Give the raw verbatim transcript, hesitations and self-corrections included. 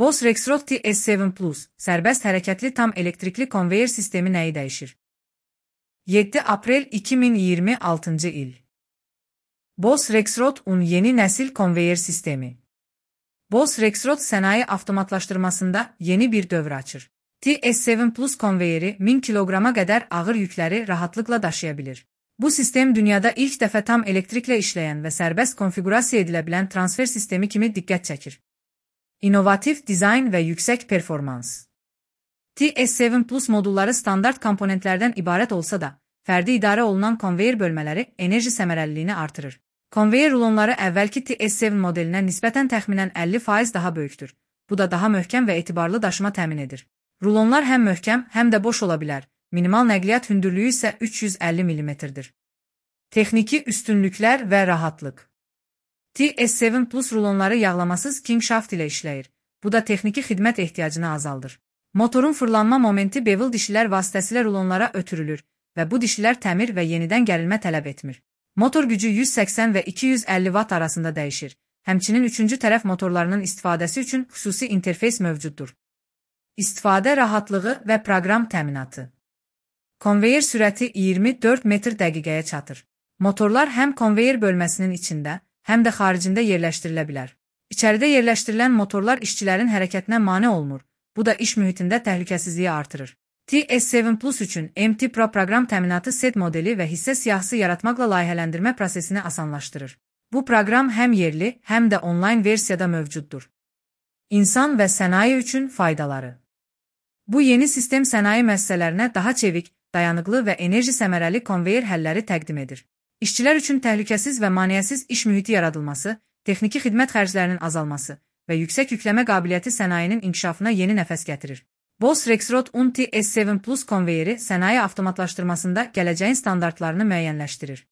Boss Rexroth T S yeddi Plus, sərbəst hərəkətli tam elektrikli konveyer sistemi nəyi dəyişir? yeddi aprel iki min iyirmi altıncı il. Boss Rexroth un yeni nəsil konveyer sistemi. Boss Rexroth sənaye avtomatlaşdırmasında yeni bir dövr açır. T S yeddi Plus konveyeri min kiloqrama qədər ağır yükləri rahatlıqla daşıya bilir. Bu sistem dünyada ilk dəfə tam elektriklə işləyən və sərbəst konfigurasiya edilə bilən transfer sistemi kimi diqqət çəkir. İnnovativ dizayn və yüksək performans. T S yeddi Plus modulları standart komponentlərdən ibarət olsa da, fərdi idarə olunan konveyer bölmələri enerji səmərəliliyini artırır. Konveyer rulonları əvvəlki T S yeddi modelinə nisbətən təxminən əlli faiz daha böyükdür. Bu da daha möhkəm və etibarlı daşıma təmin edir. Rulonlar həm möhkəm, həm də boş ola bilər. Minimal nəqliyyat hündürlüyü isə üç yüz əlli millimetrdir. Texniki üstünlüklər və rahatlıq. T S yeddi Plus rulonları yağlamasız kinkshaft ilə işləyir. Bu da texniki xidmət ehtiyacını azaldır. Motorun fırlanma momenti bevel dişilər vasitəsilə rulonlara ötürülür və bu dişilər təmir və yenidən gərilmə tələb etmir. Motor gücü yüz səksən və iki yüz əlli watt arasında dəyişir. Həmçinin üçüncü tərəf motorlarının istifadəsi üçün xüsusi interfeys mövcuddur. İstifadə rahatlığı və proqram təminatı. Konveyer sürəti iyirmi dörd metr dəqiqəyə çatır. Motorlar həm konveyer bölməsinin içində, həm də xaricində yerləşdirilə bilər. İçəridə yerləşdirilən motorlar işçilərin hərəkətinə mane olmur. Bu da iş mühitində təhlükəsizliyi artırır. T S yeddi Plus üçün M T Pro proqram təminatı set modeli və hissə siyahısı yaratmaqla layihələndirmə prosesini asanlaşdırır. Bu proqram həm yerli, həm də onlayn versiyada mövcuddur. İnsan və sənaye üçün faydaları. Bu yeni sistem sənaye müəssisələrinə daha çevik, dayanıqlı və enerji səmərəli konveyer həlləri təqdim edir. İşçilər üçün təhlükəsiz və maneəsiz iş mühiti yaradılması, texniki xidmət xərclərinin azalması və yüksək yükləmə qabiliyyəti sənayenin inkişafına yeni nəfəs gətirir. Boss Rexroth un T S yeddi Plus konveyeri sənaye avtomatlaşdırmasında gələcəyin standartlarını müəyyənləşdirir.